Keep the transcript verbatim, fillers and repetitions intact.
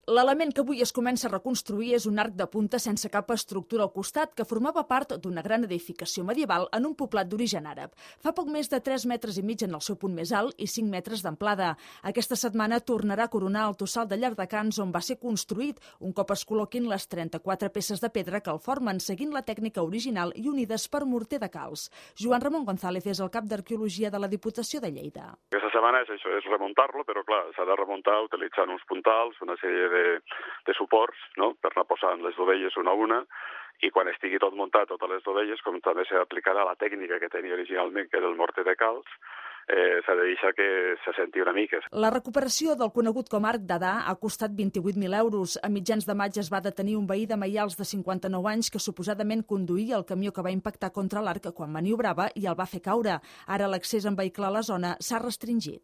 L'element que avui es comença a reconstruir és un arc de punta sense cap estructura al costat que formava part d'una gran edificació medieval en un poblat d'origen àrab. Fa poc més de tres metres i mig en el seu punt més alt i cinc metres d'amplada. Aquesta setmana tornarà a coronar el tossal de Llardecans on va ser construït, un cop es col·loquin les trenta-quatre peces de pedra que el formen, seguint la tècnica original i unides per morter de calç. Joan Ramon González és el cap d'Arqueologia de la Diputació de Lleida. Aquesta setmana és això, és remuntar-lo, però clar, s'ha de remuntar utilitzant uns puntals, una sèrie de De, de suports, no?, per anar posant les dovelles una a una, i quan estigui tot muntat, totes les dovelles, com també s'aplicarà la tècnica que tenia originalment, que era el morter de calç, eh, s'ha de deixar que se senti una mica. La recuperació del conegut com arc d'Adà ha costat vint-i-vuit mil euros. A mitjans de maig es va detenir un veí de Maials de cinquanta-nou anys que suposadament conduïa el camió que va impactar contra l'arc quan maniobrava i el va fer caure. Ara l'accés en vehicle a la zona s'ha restringit.